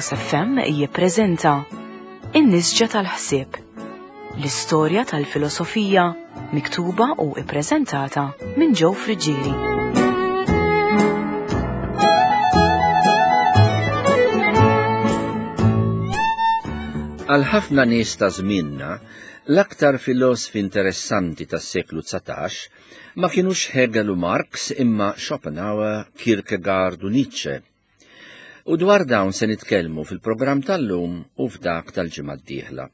Logos FM jippreżenta In-Nisġa tal-Ħsieb, l-istorja tal-filosofija miktuba u ippreżentata minn Joe Friggieri. Għal ħafna nies ta' żmienna, l-aktar filosfi interessanti tas-seklu 19 Ma kinux Hegel u Marx imma Schopenhauer, Kierkegaard u Nietzsche. U dwar dawn se nitkellmu fil-programm tal-lum u f'dak tal-ġimgħa d-dieħla.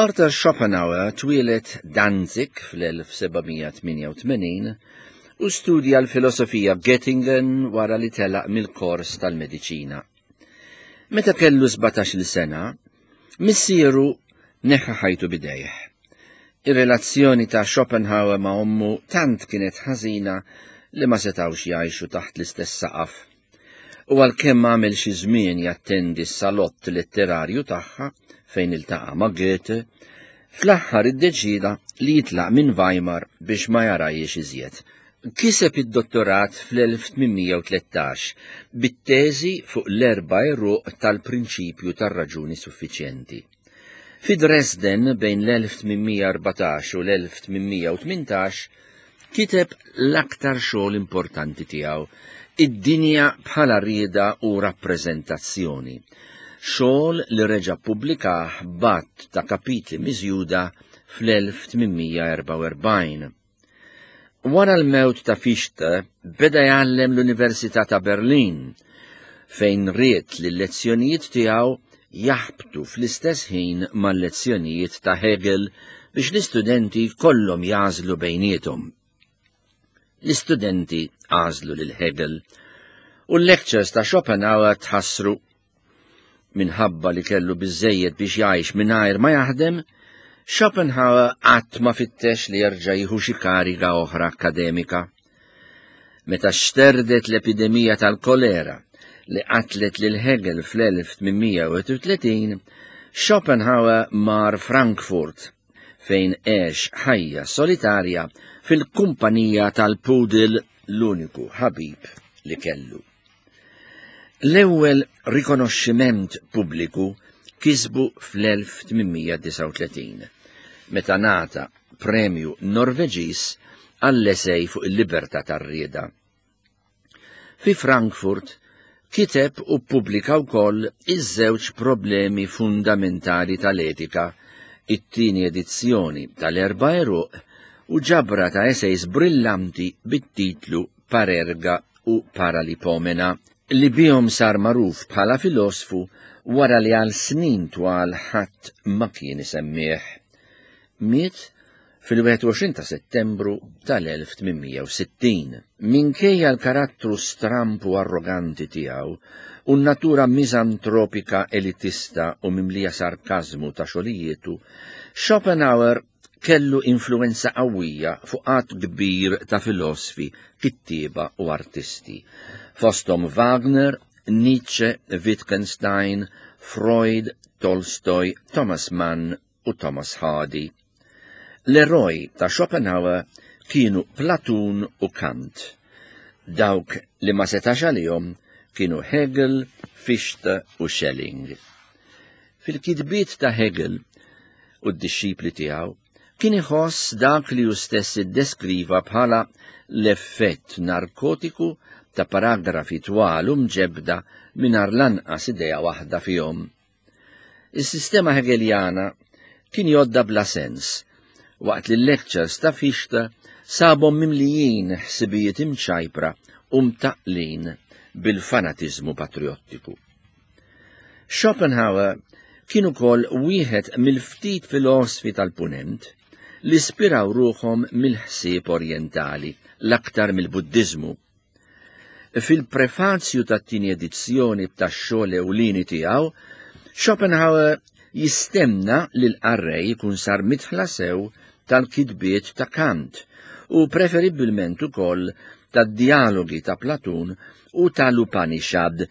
Arthur Schopenhauer twieled Danzig fl-1788 u studja l-filosofija f'Göttingen wara li telaq mill-kors tal-mediċina. Meta kellu 17-il sena, missieru neħħa ħajtu bidejh. Ir-relazzjoni ta' Schopenhauer ma' ommu tant kienet ħażina li ma setgħux jgħixu taħt l-istess saqaf. U għalkemm għamel xi żmien jattendi s-salott letterarju tagħha fejn iltaqa' ma' Goethe, fl-aħħar iddeċieda li jitlaq minn Weimar biex ma jarajiex iżjed. Kiseb id-dottorat fl-1813 bit-teżi fuq l-erba' għeruq tal-prinċipju tar-raġuni suffiċjenti. Fi Dresden bejn l-1814 u l-1818 kiteb l-aktar xogħol importanti tiegħu, Id-dinja bħala rieda u rappreżentazzjoni, xogħol li reġa' ppubblikah b'għadd ta' kapitli miżjuda fl-1844. Wara l-mewt ta' Fichte beda jgħallem l-Università ta' Berlin, fejn ried li l-lezzjonijiet tiegħu jaħbtu fl-istess ħin mal-lezzjonijiet ta' Hegel biex l-istudenti jkollhom jagħżlu bejniethom. L-istudenti għażlu lil Hegel u l-lectures ta' Schopenhauer tħassru. Minħabba li kellu biżżejjed biex jgħix mingħajr ma jaħdem, Schopenhauer qatt ma fittex li jerġa' jieħu xi kariga oħra akkademika. Meta xterdet l-epidemija tal-kolera li qatlet lil Hegel fl-1831, Schopenhauer mar Frankfurt fejn għex ħajja solitarja fil-kumpanija tal-pudel l-uniku ħabib li kellu. L-ewwel rikonoxximent pubbliku kisbu fl-1839, meta ngħata Premju Norveġiż għall-esej fuq il-libertà tar-rieda. Fi Frankfurt kiteb u ppubblika wkoll iż-żewġ problemi fundamentali tal-etika, it-tieni edizzjoni tal-Erba' Għeruq u ġabra ta' esejs brillanti bit-titlu Parerga u Paralipomena, li bihom sar magħruf bħala filosfu wara li għal snin twal ħadd ma kien isemmih. Miet fil-21 ta' Settembru tal-1860. Minkejja l-karattru stramp u arroganti tiegħu u n-natura miżantropika elitista u mimlija sarkażmu ta' xogħlijietu, Schopenhauer kellu influwenza qawwija fuq għadd kbir ta' filosfi, kittieba u artisti, fosthom Wagner, Nietzsche, Wittgenstein, Freud, Tolstoj, Thomas Mann u Thomas Hardy. L-eroj ta' Schopenhauer kienu Platun u Kant. Dawk li ma setax għalihom kienu Hegel, Fichte u Schelling. Fil-kitbiet ta' Hegel u d-dixxipli tiegħu, kien iħoss dak li hu stess iddeskriva bħala l-effett narkotiku ta' paragrafi twal u mġebbda mingħajr lanqas idea waħda fihom. Is-sistema Hegeljana kien jgħoddha bla sens, waqt li l-lectures ta' Fichte sabhom mimlijin ħsibijiet imċajpra u mtaqqlin bil-fanatiżmu patrijottiku. Schopenhauer kien ukoll wieħed mill-ftit filosfi tal-Punent li spiraw ruħhom mill-ħsieb orjentali, l-aktar mill-Buddiżmu. Fil-prefazju tat-tieni edizzjoni tax-xogħol ewlieni tiegħu, Schopenhauer jistenna li l-qarrej ikun sar midħla sew tal-kitbiet ta' Kant u preferibbilment ukoll tad-djalogi ta' Platun u tal-Upanishad,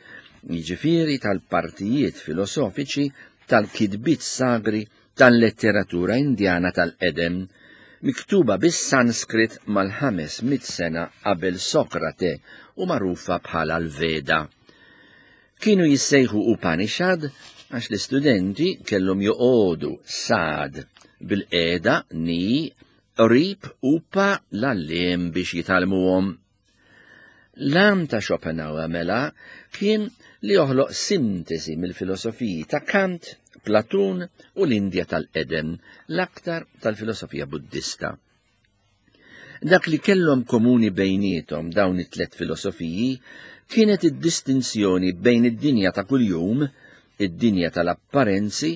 jiġifieri tal-partijiet filosofiċi tal-kitbiet sagri tal-letteratura Indjana tal-qedem, miktuba bis-Sanskrit mal-500 sena qabel Sokrate u magħrufa bħala l-Veda. Kienu jissejħu Upanishad għax l-istudenti kellhom joqogħdu sad bil-qiegħda ni qrib upa l-għalliem biex jitgħallmuhom. L-għan ta' Schopenhauer mela kien li joħloq sintesi mill-filosofiji ta' Kant, Platun u l-Indja tal-qedem, l-aktar tal-filosofija Buddista. Dak li kellhom komuni bejniethom dawn it-tlet filosofiji kienet id-distinzjoni bejn id-dinja ta' kuljum, id-dinja tal-apparenzi,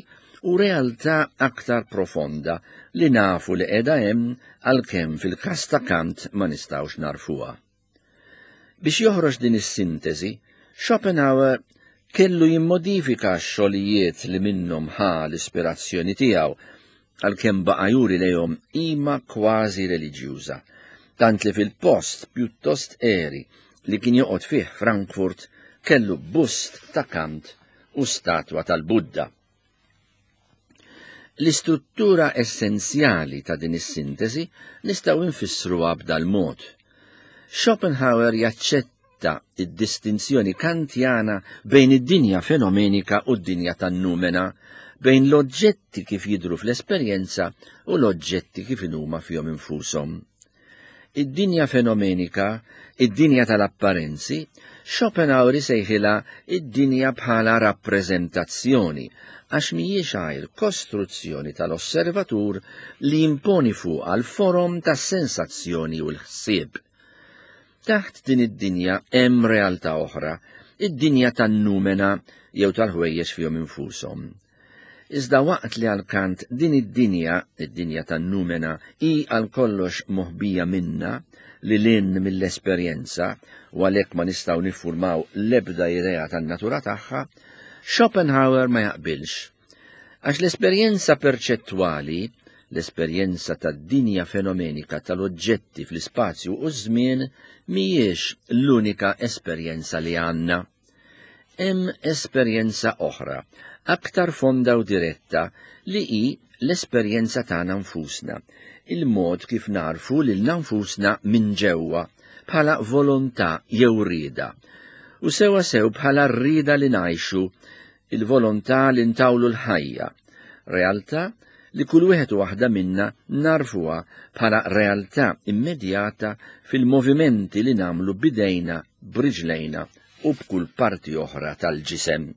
u realtà aktar profonda li nafu li qiegħda hemm għalkemm fil-każ ta' Kant ma nistgħux nagħrfuha. Biex joħroġ din is-sintesi, Schopenhauer kellu jimmodifika x-xogħlijiet li minnhom ħa l-ispirazzjoni tiegħu għalkemm baqa' juri lejhom qima kważi reliġjuża, tant li fil-post pjuttost għeri li kien joqgħod fih Frankfurt kellu bust ta' Kant u statwa tal-Budda. L-istruttura essenzjali ta' din is-sintesi nistgħu nfissruha b'dal-mod. Schopenhauer jaċċetta id-distinzjoni Kantjana bejn id-dinja fenomenika u d-dinja tan-numena, bejn l-oġġetti kif jidhru fl-esperjenza u l-oġġetti kif inhuma fihom infushom. Id-dinja fenomenika, id-dinja tal-apparenzi, Schopenhauer isejħilha id-dinja bħala rappreżentazzjoni, għax mhijiex għajr kostruzzjoni tal-osservatur li jimponi fuqha l-forom tas-sensazzjoni u l-ħsieb. Taħt din id-dinja hemm realtà oħra, id-dinja tan-numena jew tal-ħwejjeġ fihom infushom. Iżda waqt li għal Kant din id-dinja, id-dinja tan-numena, hi għal kollox moħbija minna, lil hinn mill-esperjenza, u għalhekk ma nistgħu niffurmaw l-ebda idea tan-natura tagħha, Schopenhauer ma jaqbilx. Għax l-esperjenza perċettwali, l-esperjenza tad-dinja fenomenika tal-oġġetti fl-ispazju u ż-żmien mhijiex l-unika esperjenza li għandna. Hemm esperjenza oħra, aktar fonda u diretta, li hi l-esperjenza tagħna nfusna, il-mod kif nagħrfu lilna nfusna minn ġewwa, bħala volontà jew rieda, u sewwa sew bħala r-rieda li ngħixu, il-volontà li ntawlu l-ħajja, realtà li kull wieħed u waħda minna nagħrfuha bħala realtà immedjata fil-movimenti li nagħmlu b'idejna, b'riġlejna u b'kull parti oħra tal-ġisem.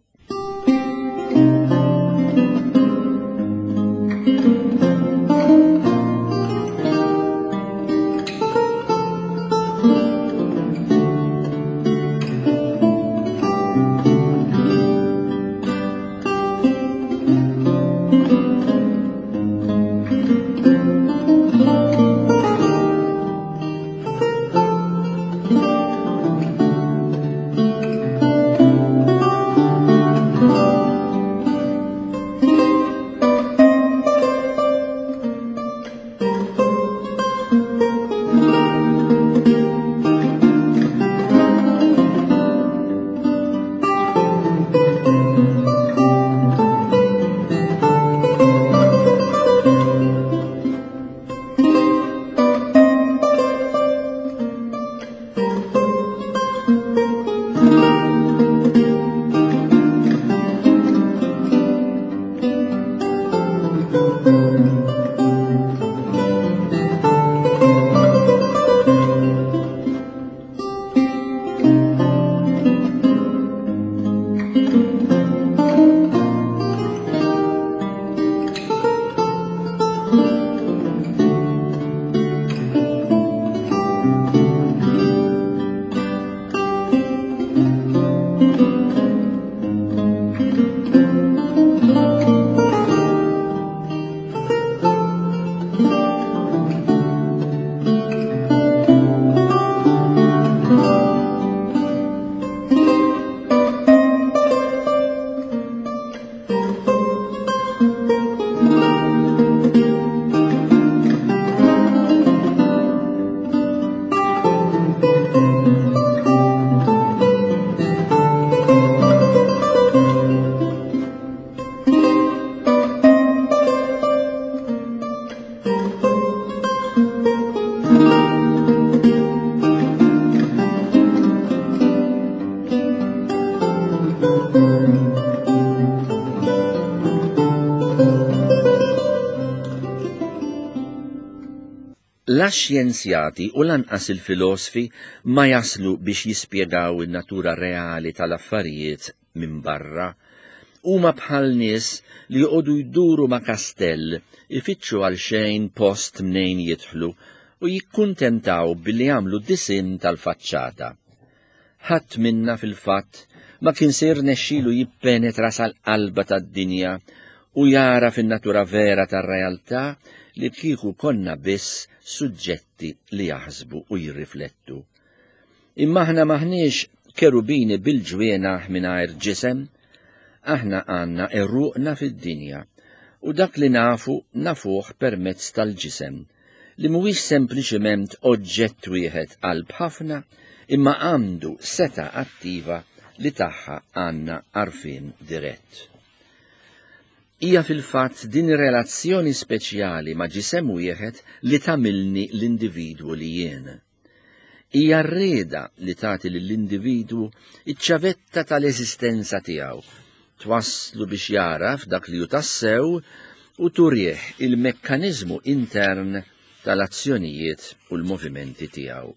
La x-xjenzjati u lanqas il-filosfi ma jaslu biex jispjegaw in-natura reali tal-affarijiet minn barra. Huma bħal nies li joqogħdu jduru ma' kastell, ifittxu għalxejn post mnejn jidħlu u jikkuntentaw billi jagħmlu disinn tal-faċċata. Ħadd minna fil-fatt ma kien se jirnexxilu jippenetra sal-qalba tad-dinja u jagħraf in-natura vera tar-realtà li kieku konna biss suġġetti li jaħsbu u jirriflettu. Imma aħna m'aħniex kerubini bil-ġwienaħ mingħajr ġisem, aħna għandna għeruqna fid-dinja u dak li nafu nafuh permezz tal-ġisem. li mhuwiex sempliċement oġġett wieħed qalb ħafna imma għandu setgħa attiva li tagħha għandna għarfien dirett. Hija fil-fatt din ir-relazzjoni speċjali ma' ġisem wieħed li tagħmilni l-individwu li jien. Hija r-rieda li tagħti lill-individwu ċ-ċavetta tal-eżistenza tiegħu, twasslu biex jagħraf dak li hu tassew u turih il-mekkaniżmu intern tal-azzjonijiet u l-movimenti tiegħu.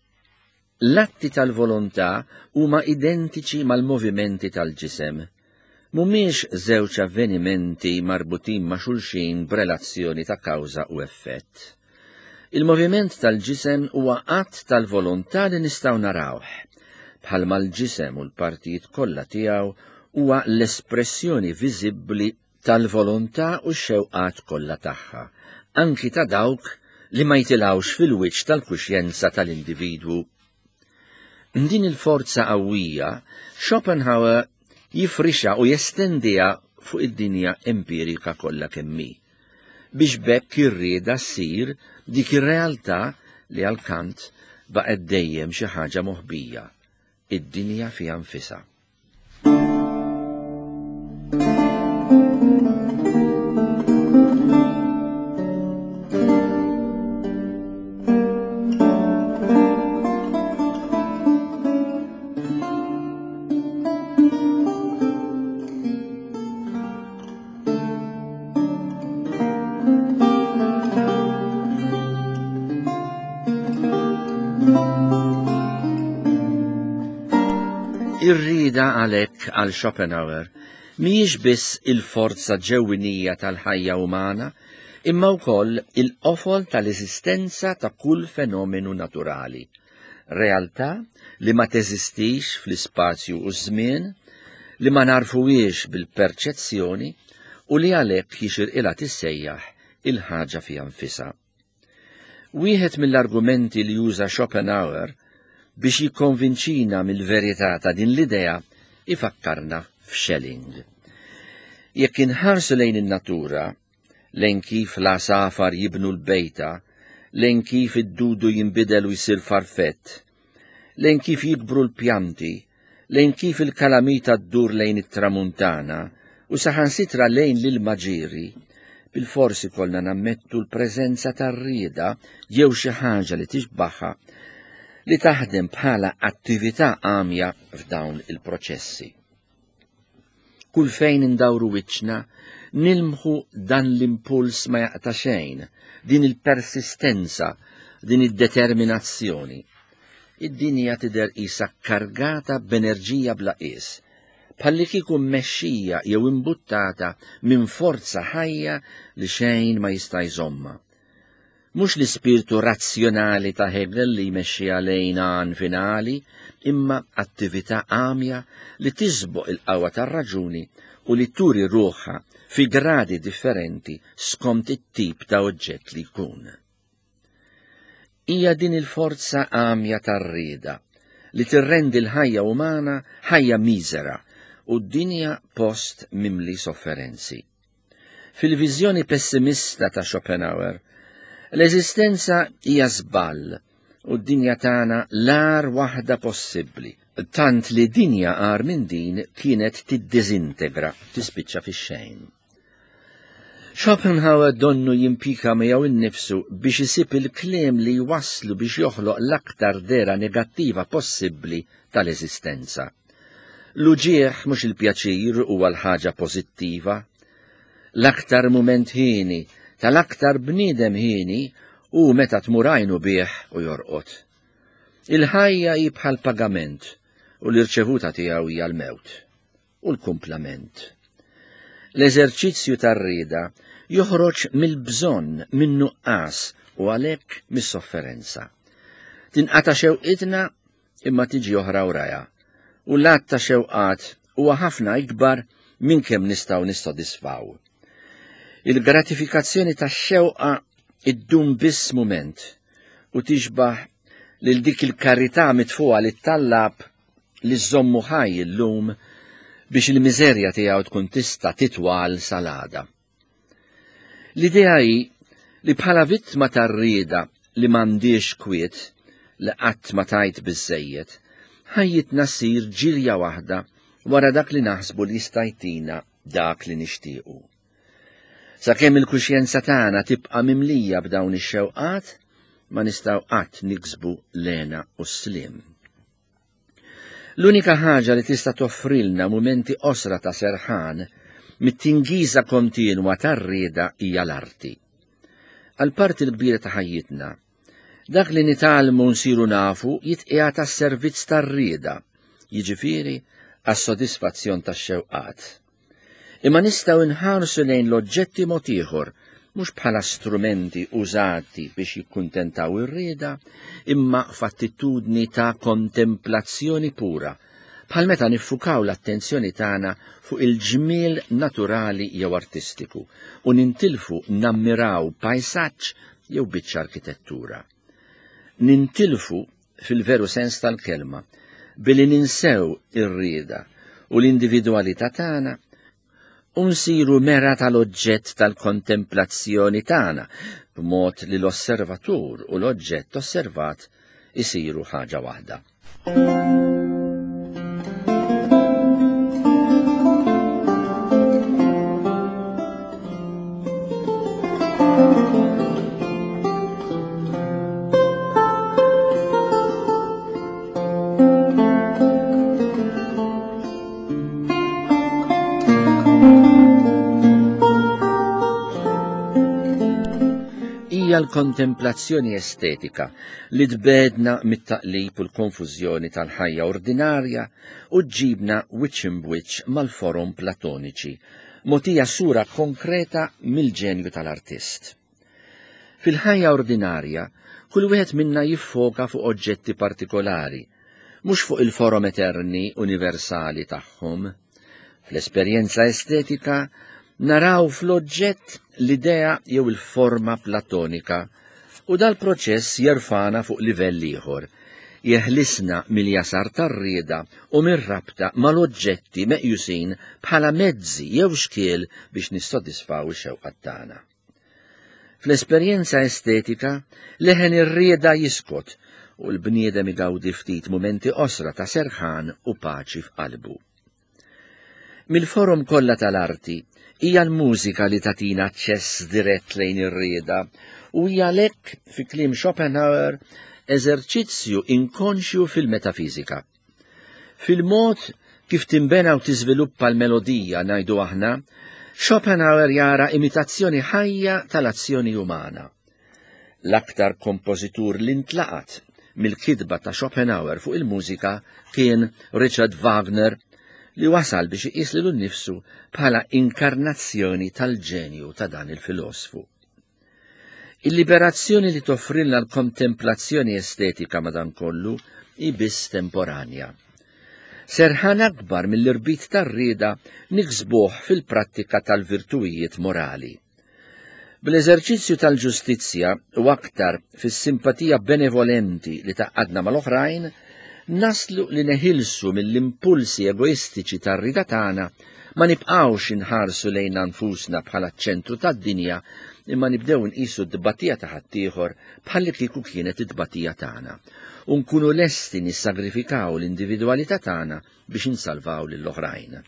L-atti tal-volontà huma identiċi mal-movimenti tal-ġisem. Mhumiex żewġ avvenimenti marbutin ma' xulxin b'relazzjoni ta' kawża u effett. Il-moviment tal-ġisem huwa att tal-volontà li nistgħu narawh. Bħalma l-ġisem u l-partijiet kollha tiegħu huwa l-espressjoni viżibbli tal-volontà u x-xewqat kollha tagħha, anki ta' dawk li ma jitilgħux fil-wiċċ tal-kuxjenza tal-individwu. Din il-forza qawwija Schopenhauer jifrixha u jestendiha fuq id-dinja empirika kollha kemm hi. Biex b'hekk ir-rieda ssir dik ir-realtà li għal Kant baqgħet dejjem xi ħaġa moħbija, id-dinja fiha nfisha. Ir-rieda għalhekk għal Schopenhauer mhijiex biss il-forza ġewwinija tal-ħajja umana, imma wkoll il-qofol tal-eżistenza ta' kull fenomenu naturali. Realtà li ma teżistix fl-ispazju u ż-żmien, li ma nagħrfuhiex bil-perċezzjoni u li għalhekk jixirqilha tissejjaħ il-ħaġa fiha nfisha. Wieħed mill-argumenti li juża Schopenhauer biex jikkonvinċina mill-verità ta' din l-idea ifakkarna f'Schelling. Jekk inħarsu lejn in-natura, lejn kif l-għasafar jibnu l-bejta, lejn kif id-dudu jinbidel u jsir farfett, lejn kif jikbru l-pjanti, lejn kif il-kalamita ddur lejn it-tramuntana u saħansitra lejn l-ilma ġieri, bilfors ikollna nammettu l-preżenza tar-rieda jew xi ħaġa li tixbaħha li taħdem bħala attività għamja f'dawn il-proċessi. Kull fejn indawru wiċċna, nilmħu dan l-impuls ma jaqta' xejn, din il-persistenza, din id-determinazzjoni. Id-dinja tidher qisha kkargata b'enerġija bla qies, bħallikieku mmexxija jew imbuttata minn forza ħajja li xejn ma jista' jżommha. Mhux l-ispirtu razzjonali ta' Hegel li jmexxiha lejn għan finali, imma attività għamja li tisboq il-qawwa tar-raġuni u li turi ruħha fi gradi differenti skont it-tip ta' oġġett li jkun. Hija din il-forza għamja tar-rieda li tirrendi l-ħajja umana ħajja miżera u d-dinja post mimli sofferenzi. Fil-viżjoni pessimista ta' Schopenhauer, l-eżistenza hija żball u d-dinja tagħna l-agħar waħda possibbli, tant li dinja agħar minn din kienet tiddiżintegra, tispiċċa fix-xejn. Schopenhauer donnu jimpika miegħu innifsu biex isib il-kliem li jwasslu biex joħloq l-aktar dehra negattiva possibbli tal-eżistenza. L-uġigħ mhux il-pjaċir huwa l-ħaġa pożittiva. L-aktar mument hieni tal-aktar bniedem hieni U meta tmur għajnu bih u jorqod. Il-ħajja hi bħal pagament u l-irċevuta tiegħu hija l-mewt u l-kumplament. L-eżerċizzju tar-rieda joħroġ mill-bżonn, min-nuqqas u għalhekk mis-sofferenza. Tinqata' xewqitna imma tiġi oħra wrajha, u l-għadd ta' xewqat huwa ħafna ikbar minn kemm nistgħu nissodisfaw. Il-gratifikazzjoni tax-xewqa iddum biss mument u tixbah lil dik il-karità mitfugħa lit-tallab li żżommu ħaj illum biex il-miżerja tiegħu tkun tista' titwal sal-għada. L-idea hi li bħala vittma tar-rieda li m'għandhiex kwiet, li qatt ma tgħid biżżejjed, ħajjitna ssir ġirja waħda wara dak li naħsbu li jista' jtina dak li nixtiequ. Sakemm il-kuxjenza tagħna tibqa' mimlija b'dawn ix-xewqat, ma nistgħu qatt niksbu l-hena u s-sliem. L-unika ħaġa li tista' toffrilna mumenti qosra ta' serħan mit-tingiża kontinwa tar-rieda hija l-arti. Għal parti l-kbira ta' ħajjitna, dak li nitgħallmu nsiru nafu jitqiegħed għas-servizz tar-rieda, jiġifieri għas-sodisfazzjon tax-xewqat. Imma nistgħu nħarsu lejn l-oġġetti mod ieħor, mhux bħala strumenti użati biex jikkuntentaw ir-rieda, imma f'attitudni ta' kontemplazzjoni pura, bħal meta niffukaw l-attenzjoni tagħna fuq il-ġmiel naturali jew artistiku u nintilfu nammiraw pajsaġġ jew biċċa arkitettura. Nintilfu fil-veru sens tal-kelma, billi ninsew ir-rieda u l-individwalità tagħna u nsiru mera tal-oġġett tal-kontemplazzjoni tagħna b'mod li l-osservatur u l-oġġett osservat isiru ħaġa waħda. Hija l-kontemplazzjoni estetika li tbegħedna mit-taqlib u l-konfużjoni tal-ħajja ordinarja u ġġibna wiċċ imbwiċċ mal-forom platoniċi, mogħtija sura konkreta mill-ġenju tal-artist. Fil-ħajja ordinarja, kull wieħed minna jiffoka fuq oġġetti partikolari, mhux fuq il-forom eterni universali tagħhom. Fl-esperjenza estetika, naraw fl-oġġett l-idea jew il-forma platonika u dal-proċess jerfagħna fuq livell ieħor, jeħlisna mill-jasar tar-rieda u mir-rabta mal-oġġetti meqjusin bħala mezzi jew xkiel biex nissodisfaw ix-xewqat tagħna. Fl-esperjenza estetika, leħen ir-rieda jiskot u l-bniedem igawdi ftit mumenti qosra ta' serħan u paċi f'qalbu. Mill-forom kollha tal-arti, hija l-mużika li tagħtina aċċess dirett lejn ir-rieda u hija għalhekk, fi kliem Schopenhauer, eżerċizzju inkonxju fil-metafiżika. Fil-mod kif tinbena u tiżviluppa l-melodija, ngħidu aħna, Schopenhauer jara imitazzjoni ħajja tal-azzjoni umana. L-aktar kompożitur li ntlaqat mill-kitba ta' Schopenhauer fuq il-mużika kien Richard Wagner li wasal biex iqis lilu nnifsu bħala inkarnazzjoni tal-ġenju ta' dan il-filosfu. Il-liberazzjoni li toffrilna l-kontemplazzjoni estetika madankollu hi biss temporanja. Serħan akbar mill-irbit tar-rieda niksbuh fil-prattika tal-virtuwijiet morali. Bl-eżerċizzju tal-ġustizzja u aktar fis-simpatija benevolenti li tgħaqqadna mal-oħrajn, naslu li neħilsu mill-impulsi egoistiċi tar-rieda tagħna, ma nibqgħux inħarsu lejna nfusna bħala ċ-ċentru tad-dinja, imma nibdew inqisu t-tbatija ta' ħaddieħor bħallikieku kienet it-tbatija tagħna, u nkunu lesti nissagrifikaw l-individwalità tagħna biex insalvaw lill-oħrajn.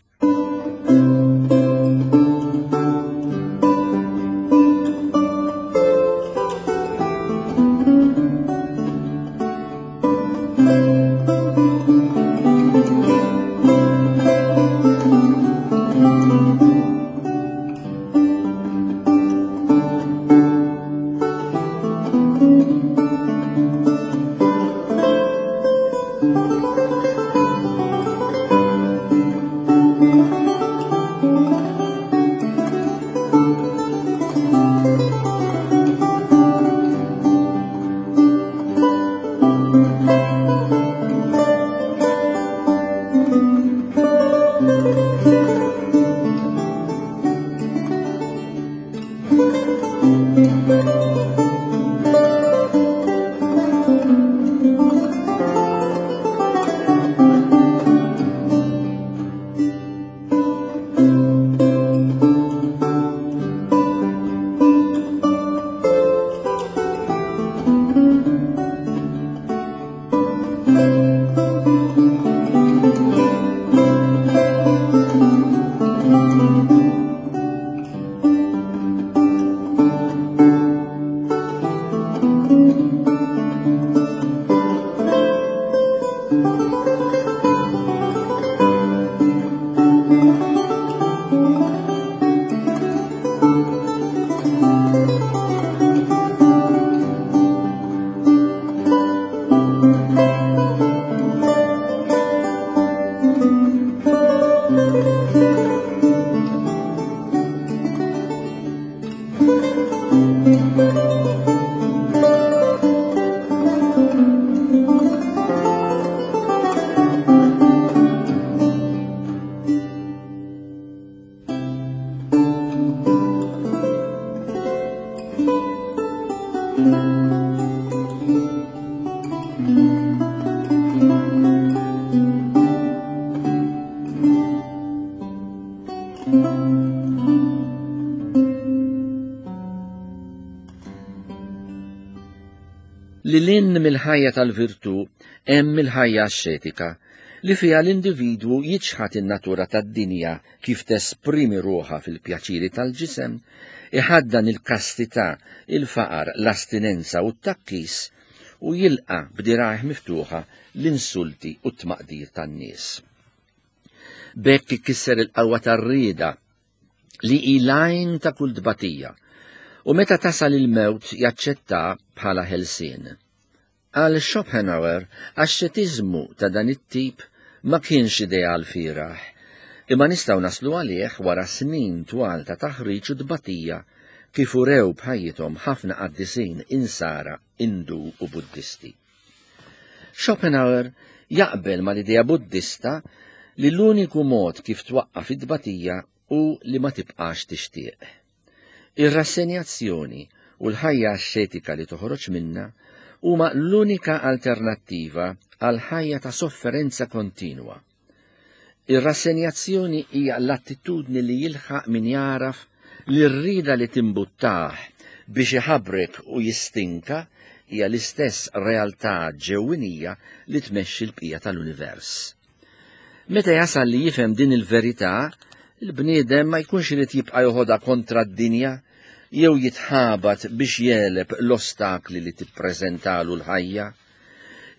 Lil hinn mill-ħajja tal-virtù hemm il-ħajja axxetika, li fiha l-individwu jiċħad in-natura tad-dinja kif tesprimi ruħha fil-pjaċiri tal-ġisem, iħaddan il-kastità, il-faqar, l-astinenza u t-tgħakkis, u jilqa' b'dirgħajh miftuħa l-insulti u t-tmaqdir tan-nies. B'hekk ikisser il-qawwa tar-rieda li hi l-għajn ta' kull tbatija, u meta tasal il-mewt jaċċettha bħala ħelsien. Għal Schopenhauer, axxetiżmu ta' dan it-tip ma kienx ideal fieragħ, imma nistgħu naslu għalih wara snin twal ta' taħriġ u tbatija kif urew b'ħajjithom ħafna qaddisin Insara, Indu u Buddisti. Schopenhauer jaqbel mal-idea Buddista li l-uniku mod kif twaqqaf it-tbatija hu li ma tibqax tixtieq. Ir-rassenjazzjoni u l-ħajja axxetika li toħroġ minnha huma l-unika alternattiva għal ħajja ta' sofferenza kontinwa. Ir-rassenjazzjoni hija l-attitudni li jilħaq min jagħraf li r-rieda li timbuttah biex iħabrek u jistinka hija l-istess realtà ġewwinija li tmexxi l-bqija tal-univers. Meta jasal li jifhem din il-verità, il-bniedem ma jkunx irid jibqa' joħodha kontra d-dinja jew jitħabat biex jegħleb l-ostakli li tippreżentalu l-ħajja.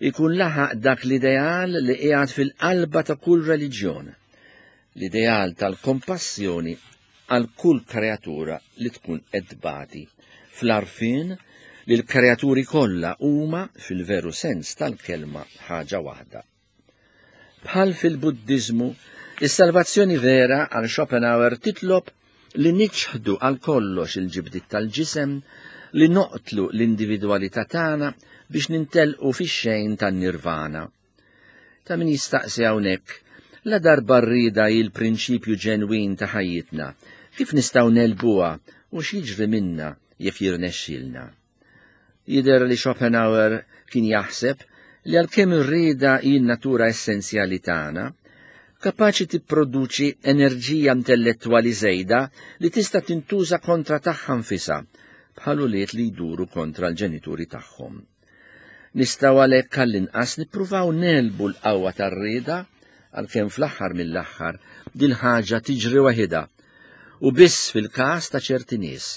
Ikun laħaq dak l-ideal li qiegħed fil-qalba ta' kull reliġjon, l-ideal tal-kompassjoni għal kull kreatura li tkun qed tbati, fl-għarfien li l-kreaturi kollha huma fil-veru sens tal-kelma ħaġa waħda. Bħal fil-Buddiżmu, is-salvazzjoni vera għal Schopenhauer titlob li niċħdu għal kollox il-ġibdiet tal-ġisem, li noqtlu l-individwalità tagħna biex nintelqu fix-xejn tan-nirvana. Ta' min jistaqsi hawnhekk, la darba r-rieda hi l-prinċipju ġenwin ta' ħajjitna, kif nistgħu negħlbuha u x'jiġri minna jekk jirnexxielna? Jidher li Schopenhauer kien jaħseb li għalkemm ir-rieda hi n-natura essenzjali tagħna, kapaċi tipproduċi enerġija intellettwali żejda li tista' tintuża kontra tagħha nfisha, bħal ulied li jduru kontra l-ġenituri tagħhom. Nistgħu għalhekk għall-inqas nippruvaw negħlbu l-qawwa tar-rieda għalkemm fl-aħħar mill-aħħar dil-ħaġa tiġri waħidha u biss fil-każ ta' ċerti nies,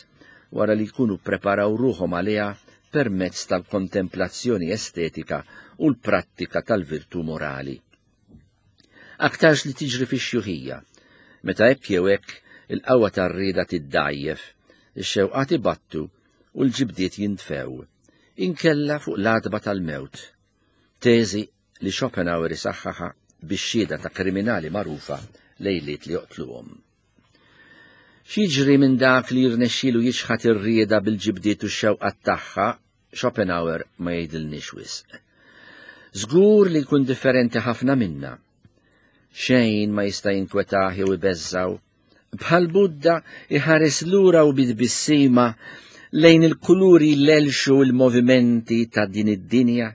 wara li jkunu ppreparaw ruħhom għaliha permezz tal-kontemplazzjoni estetika u l-prattika tal-virtù morali. Aktarx li tiġri fix-xjuħija, meta hekk jew hekk il-qawwa tar-rieda tiddgħajjef, ix-xewqat ibattu u l-ġibdiet jintfew, inkella fuq l-għatba tal-mewt. Teżi li Schopenhauer isaħħaħha bix-xhieda ta' kriminali magħrufa lejliet li joqtluhom. X'jiġri minn dak li jirnexxielu jiċħad ir-rieda bil-ġibdiet u x-xewqat tagħha, Schopenhauer ma jgħidilniex wisq. Żgur li jkun differenti ħafna minna. Xejn ma jista' jinkwetah jew ibeżżgħu Bħal Budda iħares lura u bi tbissima lejn il-kuluri l-elxu l-movimenti ta' din id-dinja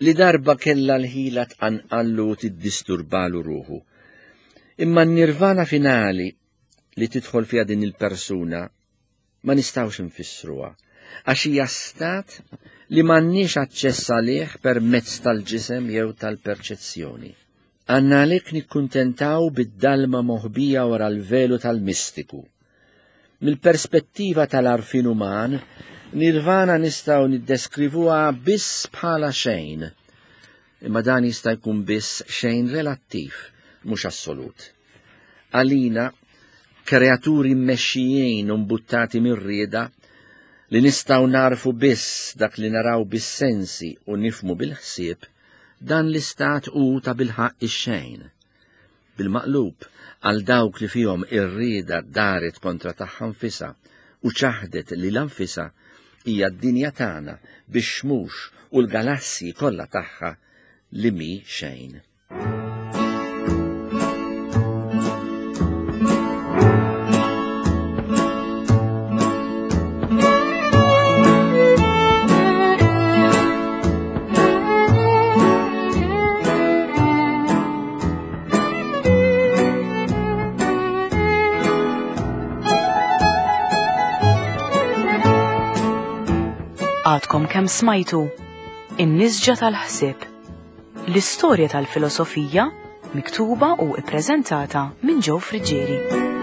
li darba kella l-ħila tqanqallu u tiddisturbalu ruħu. Imma n-nirvana finali li tidħol fiha din il-persuna ma nistgħux infissruha, għax hija stat li m'għandniex aċċess għalih permezz tal-ġisem jew tal-perċezzjoni. Għandna għalhekk nikkuntentaw bid-dalma moħbija wara l-velu tal-mistiku. Mill-perspettiva tal-għarfien uman, nirvana nistgħu niddeskrivuha biss bħala xejn. Imma dan jista' jkun biss xejn relattiv, mhux assolut. Għalina, kreaturi mmexxijin u mbuttati mir-rieda, li nistgħu nagħrfu biss dak li naraw bis-sensi u nifhmu bil-ħsieb, dan l-istat hu tabilħaqq ix-xejn. Bil-maqlub, għal dawk li fihom ir-rieda daret kontra tagħha nfisha u ċaħdet lilha nfisha, hija d-dinja tagħna bix-xmux u l-galassji kollha tagħha li mhi xejn. Għadkom kemm smajtu In-nisġa tal-ħsieb. L-istorja tal-filosofija miktuba u ippreżentata minn Joe Friggieri.